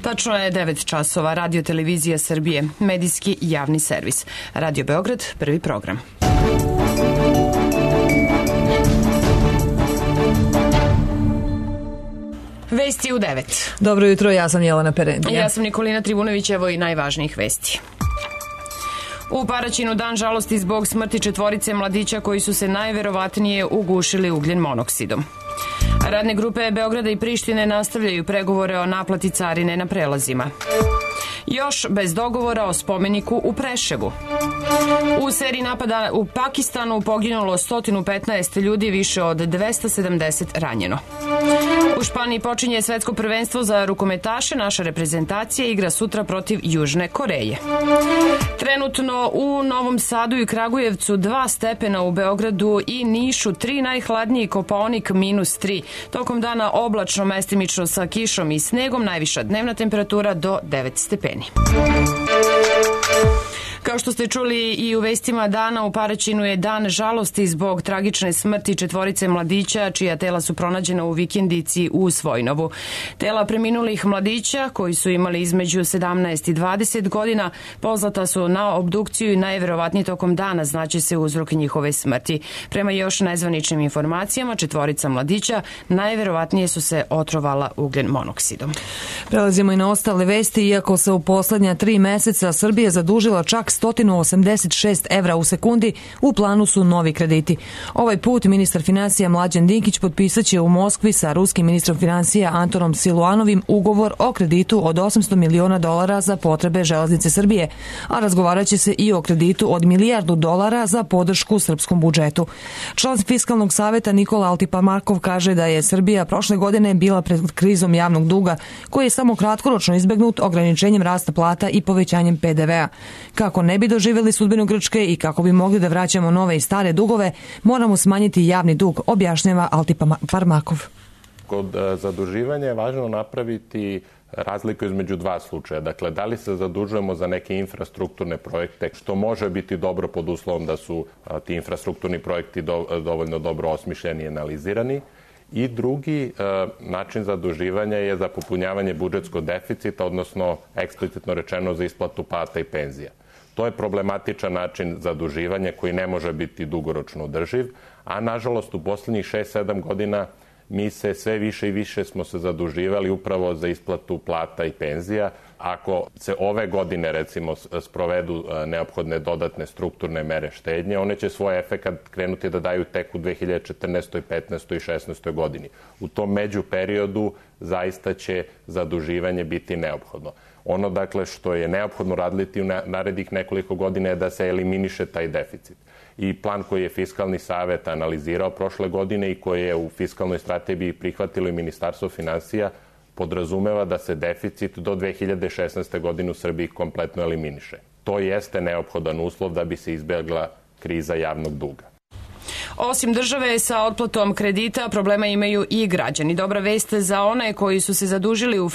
Tačno je 9 časova. Radio Televizija Srbije, medijski javni servis. Radio Beograd, prvi program. Vesti u 9. Dobro jutro, ja sam Jelena Perendija. Ja sam Nikolina Trivunović, evo i najvažnijih vesti. U Paraćinu dan žalosti zbog smrti 4 mladića koji su se najverovatnije ugušili ugljen monoksidom. Radne grupe Beograda i Prištine nastavljaju pregovore o naplati carine na prelazima. Još bez dogovora o spomeniku u Preševu. U seriji napada u Pakistanu poginulo 115 ljudi, više od 270 ranjeno. U Španiji počinje svetsko prvenstvo za rukometaše. Naša reprezentacija igra sutra protiv Južne Koreje. Trenutno u Novom Sadu i Kragujevcu 2 stepena, u Beogradu i Nišu 3, najhladniji Kopaonik -3. Tokom dana oblačno, mestimično sa kišom i snegom, najviša dnevna temperatura do 9 stepeni. Kao što ste čuli i u vestima dana, u Paraćinu je dan žalosti zbog tragične smrti 4 mladića čija tela su pronađena u vikendici u Svojnovu. Tela preminulih mladića, koji su imali između 17 i 20 godina, poslata su na obdukciju i najverovatnije tokom dana znaće se uzrok njihove smrti. Prema još nezvaničnim informacijama, 4 mladića najverovatnije su se otrovala ugljen monoksidom. Prelazimo i na ostale vesti. Iako se u poslednja 3 meseca Srbija zadužila čak 186 evra u sekundi, u planu su novi krediti. Ovaj put ministar finansija Mlađan Dinkić potpisaće u Moskvi sa ruskim ministrom finansija Antonom Siluanovim ugovor o kreditu od $800 miliona za potrebe Železnice Srbije, a razgovaraće se i o kreditu od $1 milijardu za podršku srpskom budžetu. Član Fiskalnog saveta Nikola Altiparmakov kaže da je Srbija prošle godine bila pred krizom javnog duga, koji je samo kratkoročno izbegnut ograničenjem rasta plata i povećanjem PDV-a. Kako ne bi doživjeli sudbinu Grčke i kako bi mogli da vraćamo nove i stare dugove, moramo smanjiti javni dug, objašnjava Altiparmakov. Kod zaduživanja je važno napraviti razliku između 2 slučaja. Dakle, da li se zadužujemo za neke infrastrukturne projekte, što može biti dobro pod uslovom da su ti infrastrukturni projekti dovoljno dobro osmišljeni i analizirani. I drugi način zaduživanja je za popunjavanje budžetskog deficita, odnosno eksplicitno rečeno za isplatu plata i penzija. To je problematičan način zaduživanja koji ne može biti dugoročno održiv, a nažalost u poslednjih 6-7 godina mi se sve više i više smo se zaduživali upravo za isplatu plata i penzija. Ako se ove godine, recimo, sprovedu neophodne dodatne strukturne mere štednje, one će svoj efekat krenuti da daju tek u 2014., 15. i 16. godini. U tom međuperiodu zaista će zaduživanje biti neophodno. Ono, dakle, što je neophodno raditi u narednih nekoliko godina je da se eliminiše taj deficit. I plan koji je Fiskalni savet analizirao prošle godine i koji je u fiskalnoj strategiji prihvatilo i Ministarstvo finansija podrazumeva da se deficit do 2016. godine u Srbiji kompletno eliminiše. To jeste neophodan uslov da bi se izbjegla kriza javnog duga. Osim države sa otplatom kredita, problema imaju i građani. Dobra vest za one koji su se zadužili u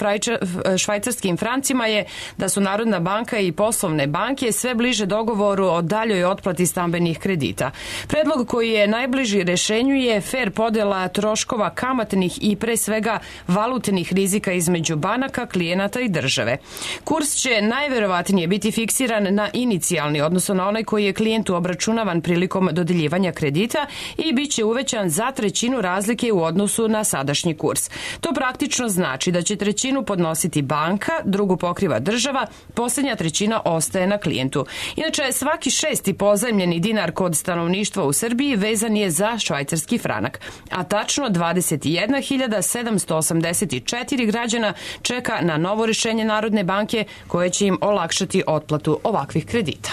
švajcarskim francima je da su Narodna banka i poslovne banke sve bliže dogovoru o daljoj otplati stambenih kredita. Predlog koji je najbliži rešenju je fer podela troškova kamatnih i pre svega valutnih rizika između banaka, klijenata i države. Kurs će najverovatnije biti fiksiran na inicijalni, odnosno na onaj koji je klijentu obračunavan prilikom dodeljivanja kredita, i bit će uvećan za 1/3 razlike u odnosu na sadašnji kurs. To praktično znači da će 1/3 podnositi banka, drugu pokriva država, posljednja 1/3 ostaje na klijentu. Inače, svaki 6. pozajmljeni dinar kod stanovništva u Srbiji vezan je za švajcarski franak, a tačno 21.784 građana čeka na novo rešenje Narodne banke koje će im olakšati otplatu ovakvih kredita.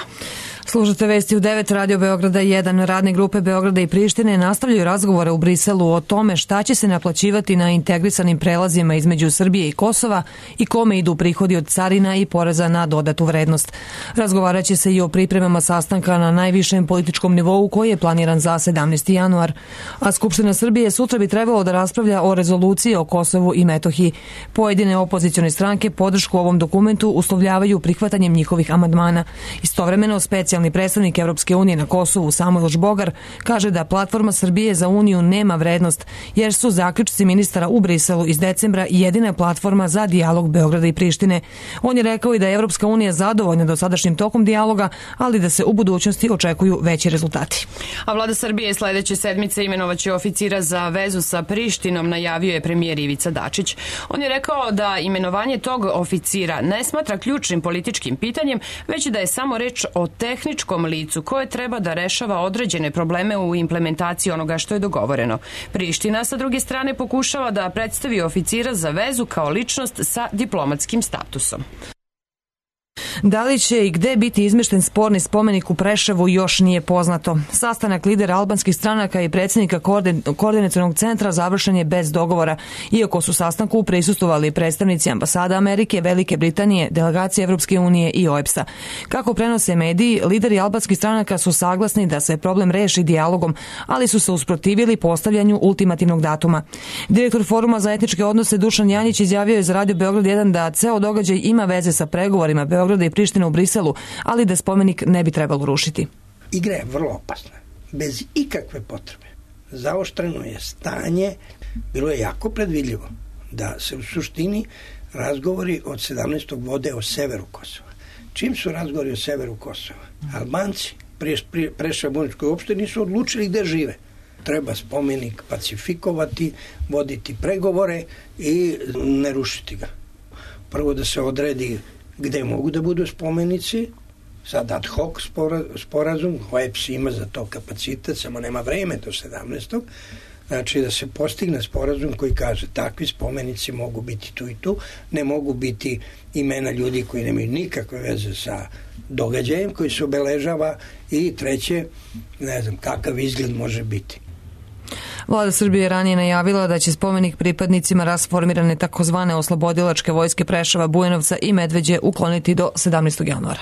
Slušate vesti u 9, Radio Beograda 1. Radne grupe Beograda i Prištine nastavljaju razgovore u Briselu o tome šta će se naplaćivati na integrisanim prelazima između Srbije i Kosova i kome idu prihodi od carina i poreza na dodatu vrednost. Razgovarat će se i o pripremama sastanka na najvišem političkom nivou koji je planiran za 17. januar. A Skupština Srbije sutra bi trebalo da raspravlja o rezoluciji o Kosovu i Metohiji. Pojedine opozicione stranke podršku ovom dokumentu uslovljavaju prihvatanjem njihovih amandmana. Istovremeno, specijalni specijalni predstavnik Evropske unije na Kosovu Samuel Žbogar kaže da platforma Srbije za Uniju nema vrednost, jer su zaključci ministara u Briselu iz decembra jedina platforma za dijalog Beograda i Prištine. On je rekao i da je Evropska unija zadovoljna dosadašnjim tokom dijaloga, ali da se u budućnosti očekuju veći rezultati. A vlada Srbije sledeće sedmice imenovaće oficira za vezu sa Prištinom, najavio je premijer Ivica Dačić. On je rekao da imenovanje tog oficira ne smatra ključnim političkim pitanjem, već da je samo reč o tehničkom licu koje treba da rešava određene probleme u implementaciji onoga što je dogovoreno. Priština sa druge strane pokušava da predstavi oficira za vezu kao ličnost sa diplomatskim statusom. Da li će i gde biti izmešten sporni spomenik u Preševu još nije poznato. Sastanak lidera albanskih stranaka i predsjednika koordinacionog centra završen je bez dogovora, iako su sastanku prisustvovali predstavnici ambasada Amerike, Velike Britanije, delegacije Evropske unije i OEBS-a. Kako prenose mediji, lideri albanskih stranaka su saglasni da se problem reši dijalogom, ali su se usprotivili postavljanju ultimativnog datuma. Direktor Foruma za etničke odnose Dušan Janjić izjavio je za Radio Beograd 1 da ceo događaj ima veze sa pregovorima Beograda i Prištine u Briselu, ali da spomenik ne bi trebalo rušiti. Igra je vrlo opasna, bez ikakve potrebe. Zaoštreno je stanje, bilo je jako predvidljivo da se u suštini razgovori od 17. vode o severu Kosova. Čim su razgovori o severu Kosova? Albanci Preševo-Buničkoj opštini su odlučili gde žive. Treba spomenik pacifikovati, voditi pregovore i ne rušiti ga. Prvo da se odredi gde mogu da budu spomenici, sad ad hoc sporazum, OEBS ima za to kapacitet, samo nema vreme do 17. Znači da se postigne sporazum koji kaže takvi spomenici mogu biti tu i tu, ne mogu biti imena ljudi koji nemaju nikakve veze sa događajem koji se obeležava i treće, ne znam kakav izgled može biti. Vlada Srbije je ranije najavila da će spomenik pripadnicima rasformirane takozvane oslobodilačke vojske Preševa, Bujanovca i Medveđe ukloniti do 17. januara.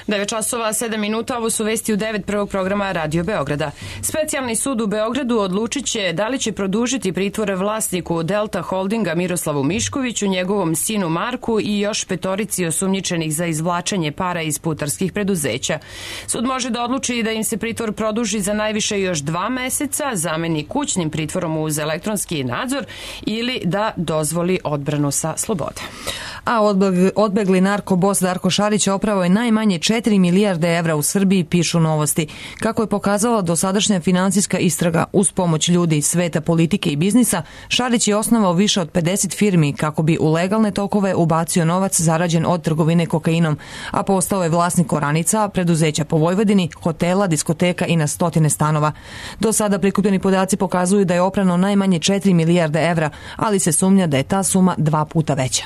9 časova, 7 minuta, ovo su vesti u 9 prvog programa Radio Beograda. Specijalni sud u Beogradu odlučit će da li će produžiti pritvore vlasniku Delta Holdinga Miroslavu Miškoviću, njegovom sinu Marku i još petorici osumnjičenih za izvlačenje para iz putarskih preduzeća. Sud može da odluči da im se pritvor produži za najviše još 2 meseca, zameni kućnim pritvorom uz elektronski nadzor ili da dozvoli odbranu sa slobode. A odbegli narkobos Darko Šarić opravo je najmanje 4 milijarde evra u Srbiji, pišu Novosti. Kako je pokazala dosadašnja finansijska istraga uz pomoć ljudi iz sveta politike i biznisa, Šarić je osnovao više od 50 firmi kako bi u legalne tokove ubacio novac zarađen od trgovine kokainom, a postao je vlasnik oranica, preduzeća po Vojvodini, hotela, diskoteka i na stotine stanova. Do sada prikupljeni podaci pokazuju da je oprano najmanje 4 milijarde evra, ali se sumnja da je ta suma 2 puta veća.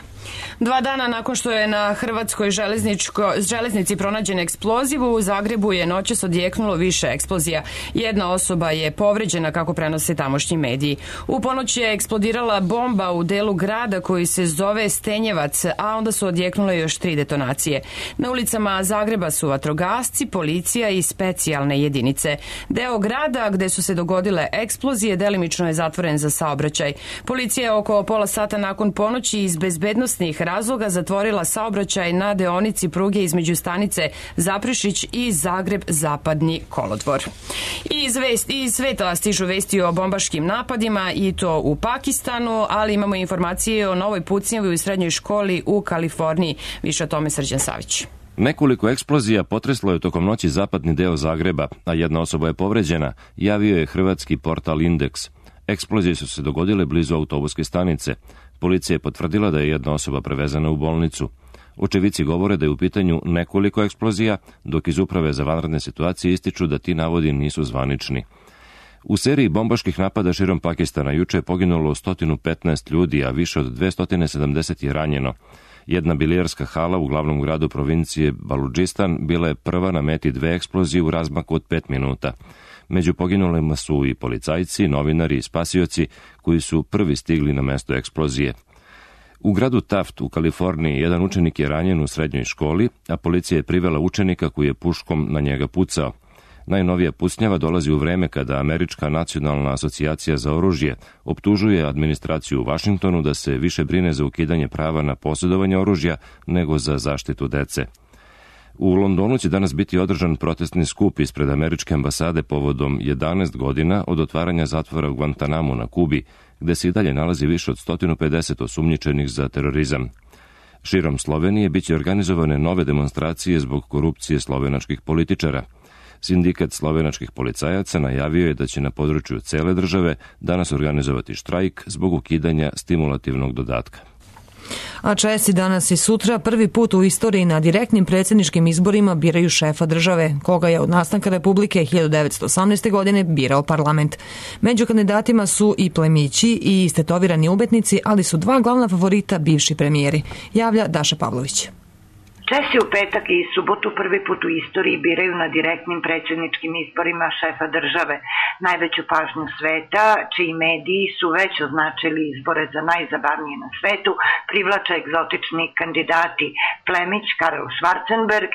2 dana nakon što je na hrvatskoj železnici pronađen eksploziv, u Zagrebu je noćas odjeknulo više eksplozija. Jedna osoba je povređena, kako prenose tamošnji mediji. U ponoć je eksplodirala bomba u delu grada koji se zove Stenjevac, a onda su odjeknule još 3 detonacije. Na ulicama Zagreba su vatrogasci, policija i specijalne jedinice. Deo grada gde su se dogodile eksplozije delimično je zatvoren za saobraćaj. Policija je oko pola sata nakon ponoći iz bezbednosti razloga zatvorila saobraćaj na deonici pruge između stanice Zaprešić i Zagreb-Zapadni kolodvor. Iz sveta stižu vesti o bombaškim napadima i to u Pakistanu, ali imamo informacije o novoj pucnjavi u srednjoj školi u Kaliforniji. Više o tome Srđan Savić. Nekoliko eksplozija potreslo je tokom noći zapadni deo Zagreba, a jedna osoba je povređena, javio je hrvatski portal Indeks. Eksplozije su se dogodile blizu autobuske stanice. Policija je potvrdila da je jedna osoba prevezena u bolnicu. Očevici govore da je u pitanju nekoliko eksplozija, dok iz Uprave za vanredne situacije ističu da ti navodi nisu zvanični. U seriji bombaških napada širom Pakistana juče je poginulo 115 ljudi, a više od 270 je ranjeno. Jedna bilijarska hala u glavnom gradu provincije Baludžistan bila je prva na meti 2 eksplozije u razmaku od 5 minuta. Među poginulima su i policajci, novinari i spasioci koji su prvi stigli na mesto eksplozije. U gradu Taft u Kaliforniji jedan učenik je ranjen u srednjoj školi, a policija je privela učenika koji je puškom na njega pucao. Najnovija pucnjava dolazi u vreme kada Američka nacionalna asocijacija za oružje optužuje administraciju u Vašingtonu da se više brine za ukidanje prava na posjedovanje oružja nego za zaštitu dece. U Londonu će danas biti održan protestni skup ispred američke ambasade povodom 11 godina od otvaranja zatvora u Guantanamu na Kubi, gde se i dalje nalazi više od 150 osumnjičenih za terorizam. Širom Slovenije biće organizovane nove demonstracije zbog korupcije slovenačkih političara. Sindikat slovenačkih policajaca najavio je da će na području cele države danas organizovati štrajk zbog ukidanja stimulativnog dodatka. A Česi danas i sutra prvi put u istoriji na direktnim predsjedničkim izborima biraju šefa države, koga je od nastanka Republike 1918. godine birao parlament. Među kandidatima su i plemići i istetovirani umetnici, ali su dva glavna favorita bivši premijeri, javlja Daša Pavlović. Česi u petak i subotu prvi put u istoriji biraju na direktnim predsjedničkim izborima šefa države. Najveću pažnju sveta, čiji mediji su već označili izbore za najzabavnije na svetu, privlače egzotični kandidati plemić Karel Schwarzenberg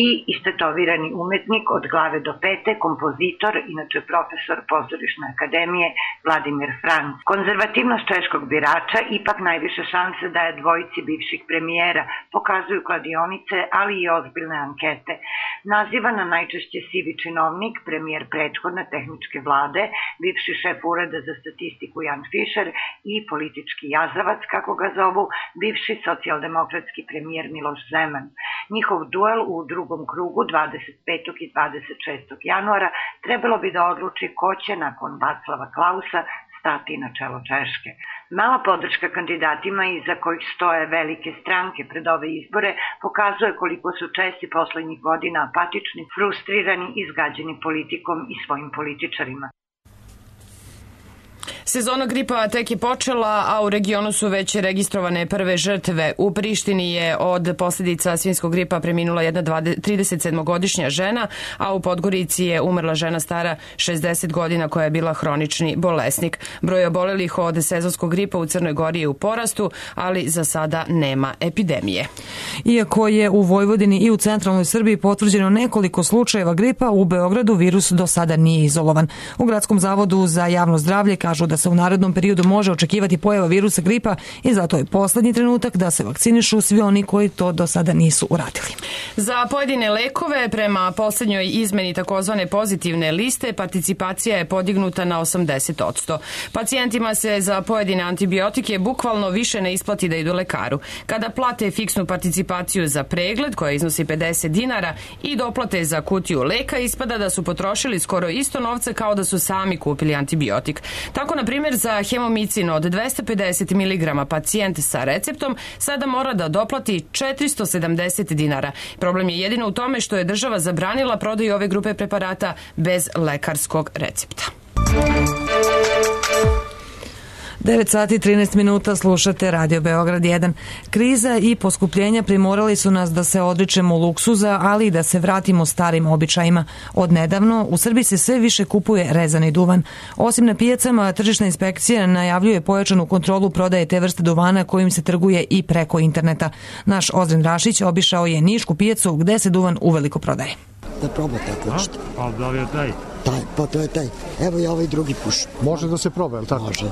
i istetovirani umetnik od glave do pete, kompozitor, inače profesor pozorišne akademije Vladimir Franc. Konzervativnost češkog birača ipak najviše šanse daje dvojici bivših premijera, pokazuju kladionice, ali i ozbiljne ankete. Nazivana najčešće sivi činovnik, premijer prethodne tehničke vlade, bivši šef ureda za statistiku Jan Fischer i politički jazavac, kako ga zovu, bivši socijaldemokratski premijer Miloš Zeman. Njihov duel u drugom krugu 25. i 26. januara trebalo bi da odluči ko će nakon Václava Klausa stati na čelo Češke. Mala podrška kandidatima iza kojih stoje velike stranke pred ove izbore pokazuje koliko su Česi poslednjih godina apatični, frustrirani i izgađeni politikom i svojim političarima. Sezona gripa tek je počela, a u regionu su već registrovane prve žrtve. U Prištini je od posljedica svinjskog gripa preminula jedna 37-godišnja žena, a u Podgorici je umrla žena stara 60 godina koja je bila hronični bolesnik. Broj obolelih od sezonskog gripa u Crnoj Gori je u porastu, ali za sada nema epidemije. Iako je u Vojvodini i u centralnoj Srbiji potvrđeno nekoliko slučajeva gripa, u Beogradu virus do sada nije izolovan. U Gradskom zavodu za javno zdravlje kažu da se u narednom periodu može očekivati pojava virusa gripa i zato je poslednji trenutak da se vakcinišu svi oni koji to do sada nisu uradili. Za pojedine lekove, prema poslednjoj izmeni takozvane pozitivne liste, participacija je podignuta na 80%. Pacijentima se za pojedine antibiotike bukvalno više ne isplati da idu lekaru. Kada plate fiksnu participaciju za pregled, koja iznosi 50 dinara, i doplate za kutiju leka, ispada da su potrošili skoro isto novca kao da su sami kupili antibiotik. Tako, na primjer, za hemomicin od 250 mg pacijent sa receptom sada mora da doplati 470 dinara. Problem je jedino u tome što je država zabranila prodaju ove grupe preparata bez lekarskog recepta. 9 sati i 13 minuta, slušate Radio Beograd 1. Kriza i poskupljenja primorali su nas da se odričemo luksuza, ali i da se vratimo starim običajima. Od nedavno u Srbiji se sve više kupuje rezani duvan. Osim na pijacama, tržišna inspekcija najavljuje pojačanu kontrolu prodaje te vrste duvana kojim se trguje i preko interneta. Naš Ozren Rašić obišao je nišku pijacu gde se duvan uveliko prodaje. Da probate ako hoćete. A da li je taj? Taj, pa to je taj. Evo i ovaj drugi puš. Može da se proba, je li tako? Može.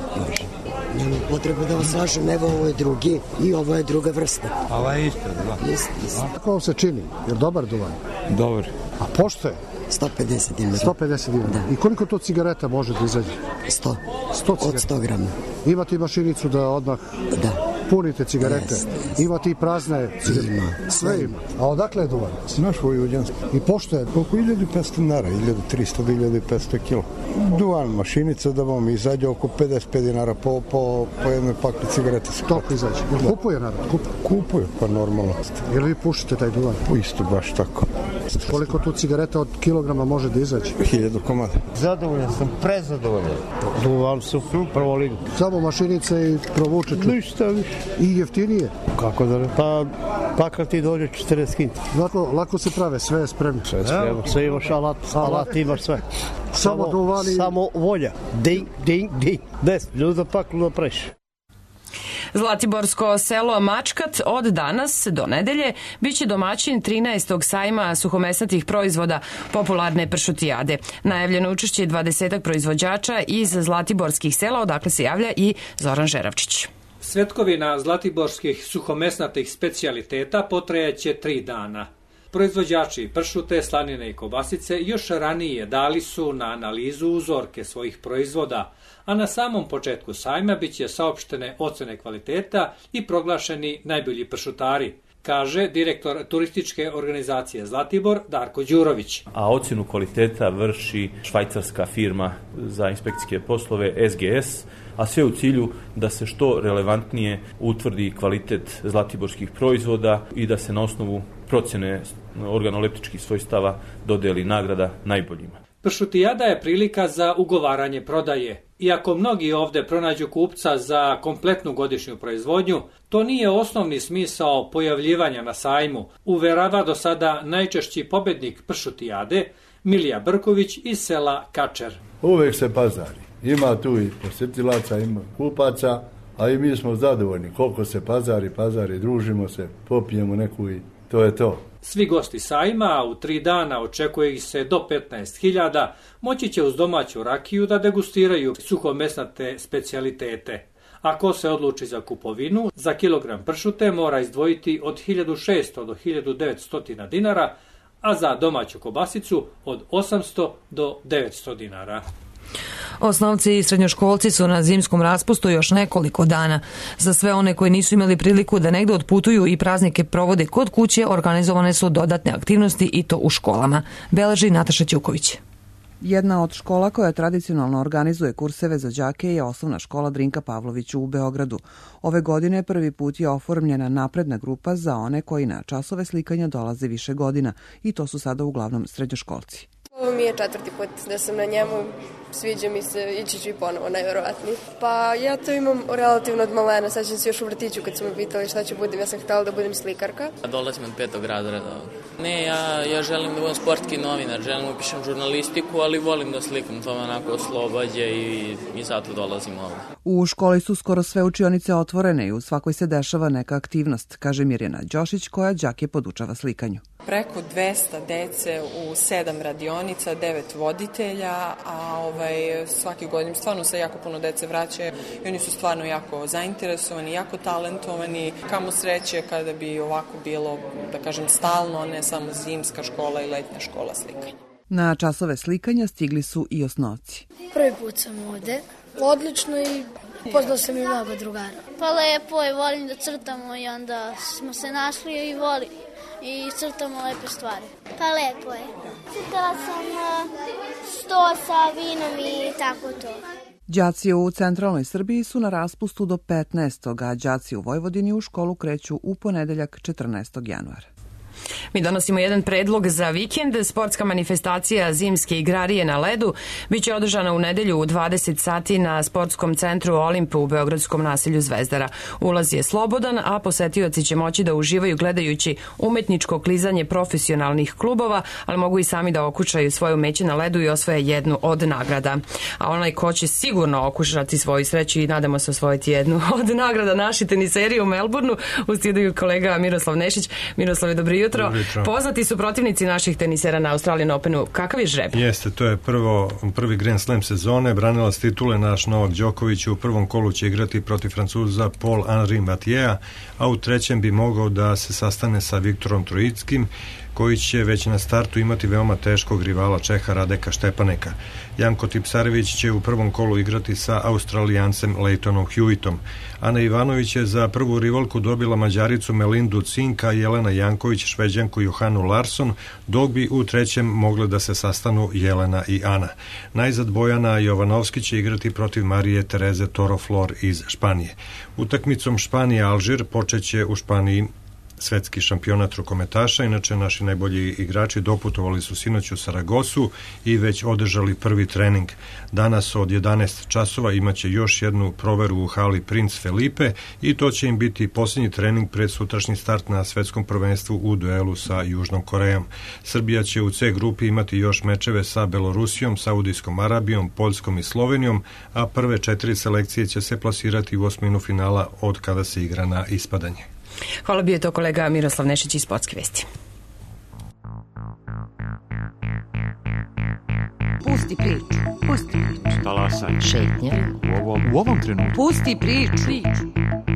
Nema potrebe da vas lažem, evo ovo je drugi i ovo je druga vrsta. A ovo je isto, da? Isto. Kako vam se čini? Je li dobar duvan? Dobar. A pošto je? 150 dinara. 150 dinara. Da. I koliko to cigareta može da izađe? 100. 100 od 100 grama. Imate i mašinicu da odmah punite cigarete? Yes. Imate i prazne cigarete? Ima. Sve ima. A odakle je duvan? Naš vojvođanski. I pošto je? Oko 1500 dinara, 1300 do 1500 kilo. Duvan mašinica da vam izađe oko 55 dinara po jednoj pakli cigarete. Toliko izađe. Kupuje narod? Kupuje, pa normalno. Jel vi pušite taj duvan? Isto, baš tako. Koliko tu cigareta od kilograma može da izađe? 1000 komada. Zadovoljan sam, prezadovoljan. Duvan su prvo ligu. Samo mašinice i provučete. Ništa više. I jeftinije? Kako da ne? Pa kad ti dođe 40 kinta. Lako se prave, sve je spremno. Sve je spremno. Sve imaš alat imaš sve. Samo duvani. Samo volja. Ding, ding, ding. Des, ljuda pak, ljuda preš. Zlatiborsko selo Mačkat od danas do nedelje biće domaćin 13. sajma suhomesnatih proizvoda popularne pršutijade. Najavljeno učešće 20 proizvođača iz zlatiborskih sela, odakle se javlja i Zoran Žeravčić. Svetkovina zlatiborskih suhomesnatih specijaliteta potrajaće 3 dana. Proizvođači pršute, slanine i kobasice još ranije dali su na analizu uzorke svojih proizvoda, a na samom početku sajma biće saopštene ocene kvaliteta i proglašeni najbolji pršutari, kaže direktor turističke organizacije Zlatibor Darko Đurović. A ocjenu kvaliteta vrši švajcarska firma za inspekcijske poslove SGS, a sve u cilju da se što relevantnije utvrdi kvalitet zlatiborskih proizvoda i da se na osnovu procjene organoleptičkih svojstava dodeli nagrada najboljima. Pršutijada je prilika za ugovaranje prodaje. Iako mnogi ovde pronađu kupca za kompletnu godišnju proizvodnju, to nije osnovni smisao pojavljivanja na sajmu, uverava do sada najčešći pobednik Pršutijade, Milija Brković iz sela Kačer. Uvek se pazari. Ima tu i posjetilaca, ima kupaca, a i mi smo zadovoljni. Koliko se pazari, družimo se, popijemo neku i to je to. Svi gosti sajma, u 3 dana očekuje ih se do 15.000, moći će uz domaću rakiju da degustiraju suhomesnate specijalitete. Ako se odluči za kupovinu, za kilogram pršute mora izdvojiti od 1600 do 1900 dinara, a za domaću kobasicu od 800 do 900 dinara. Osnovci i srednjoškolci su na zimskom raspustu još nekoliko dana. Za sve one koji nisu imali priliku da negde otputuju i praznike provode kod kuće, organizovane su dodatne aktivnosti i to u školama. Beleži Nataša Ćuković. Jedna od škola koja tradicionalno organizuje kurseve za đake je osnovna škola Drinka Pavlovića u Beogradu. Ove godine prvi put je oformljena napredna grupa za one koji na časove slikanja dolaze više godina i to su sada uglavnom srednjoškolci. Ovo mi je 4. put da sam na njemu, sviđa mi se, ići ću i ponovo, najverovatnije. Pa ja to imam relativno od malena, sećam se još u vrtiću kad su me pitali šta ću budem, ja sam htjela da budem slikarka. Dolazim od 5. razreda. Ne, ja želim da budem sportski novinar, želim da upišem žurnalistiku, ali volim da slikam, to me onako oslobađa i zato dolazim ovdje. U školi su skoro sve učionice otvorene i u svakoj se dešava neka aktivnost, kaže Mirjana Đošić koja đake podučava slikanju. Preko 200 dece u 7 radionica, 9 voditelja, a svaki godin stvarno se jako puno dece vraćaju i oni su stvarno jako zainteresovani, jako talentovani. Kamo sreće kada bi ovako bilo, da kažem, stalno, ne samo zimska škola i letnja škola slikanja. Na časove slikanja stigli su i osnovci. Prvi put sam ovde, odlično i upoznao sam i mnogo drugara. Pa lepo je, volim da crtamo i onda smo se našli i volim. I crtamo lepe stvari. Pa lepo je. Crtala sam sto sa vinom i tako to. Đaci u centralnoj Srbiji su na raspustu do 15. a đaci u Vojvodini u školu kreću u ponedeljak 14. januara. Mi donosimo jedan predlog za vikend. Sportska manifestacija Zimske igrarije na ledu biće održana u nedelju u 20 sati na sportskom centru Olimp u beogradskom naselju Zvezdara. Ulaz je slobodan, a posetioci će moći da uživaju gledajući umetničko klizanje profesionalnih klubova, ali mogu i sami da okušaju svoje umeće na ledu i osvoje jednu od nagrada. A onaj ko će sigurno okušati svoju sreću i nadamo se osvojiti jednu od nagrada naši teniseri u Melbourneu, u studiju kolega Miroslav Nešić. Miroslav, dobro jutro. Poznati su protivnici naših tenisera na Australian Openu. Kakav je žreb? Jeste, to je prvi Grand Slam sezone. Branilac titule naš Novak Đoković u prvom kolu će igrati protiv Francuza Paul-Henri Mathieu, a u trećem bi mogao da se sastane sa Viktorom Trojickim, koji će već na startu imati veoma teškog rivala Čeha Radeka Štepaneka. Janko Tipsarević će u prvom kolu igrati sa Australijancem Leightonom Hewittom. Ana Ivanović je za prvu rivalku dobila Mađaricu Melindu Cinka, Jelena Janković Šveđanku Johanu Larsson, dok bi u trećem mogle da se sastanu Jelena i Ana. Najzad Bojana Jovanovski će igrati protiv Marije Tereze Toroflor iz Španije. Utakmicom Španija-Alžir počeće u Španiji svetski šampionat rukometaša. Inače, naši najbolji igrači doputovali su sinoć u Saragosu i već održali prvi trening. Danas od 11 časova imaće još jednu proveru u hali Princ Felipe i to će im biti posljednji trening pred sutrašnji start na svetskom prvenstvu u duelu sa Južnom Korejom. Srbija će u C grupi imati još mečeve sa Belorusijom, Saudijskom Arabijom, Poljskom i Slovenijom, a prve 4 selekcije će se plasirati u osminu finala od kada se igra na ispadanje. Hvala, bio je to kolega Miroslav Nešić iz Sportske vesti. Pusti priču. Pusti priču. Talasaj. Šetnje. U ovom trenutku. Pusti priču.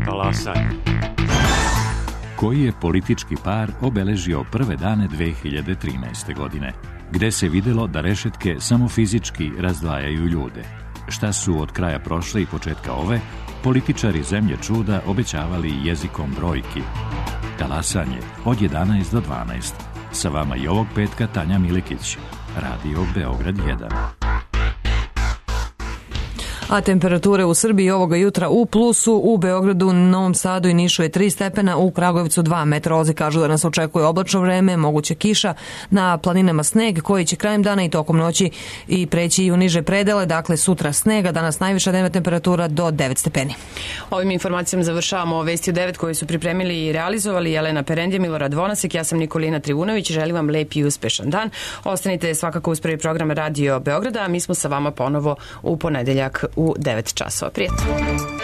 Talasaj. Koji je politički par obeležio prve dane 2013. godine, gde se videlo da rešetke samo fizički razdvajaju ljude? Šta su od kraja prošle i početka ove političari zemlje čuda obećavali jezikom brojki? Talasanje od 11 do 12. Sa vama i ovog petka Tanja Milikić, Radio Beograd 1. A temperature u Srbiji ovoga jutra u plusu, u Beogradu, Novom Sadu i Nišu je 3 stepena, u Kragujevcu 2. Meteorolozi kažu da nas očekuje oblačno vreme, moguće kiša, na planinama sneg koji će krajem dana i tokom noći i preći i u niže predele, dakle sutra snega, danas najviša dnevna temperatura do 9 stepeni. Ovim informacijama završavamo Vesti u 9 koje su pripremili i realizovali Jelena Perendje, Milorad Vonasek, ja sam Nikolina Trivunović, želim vam lep i uspešan dan. Ostanite svakako uz prvi program Radio Beograda, a mi smo sa vama ponovo u ponedeljak u 9 časova. Prijatno.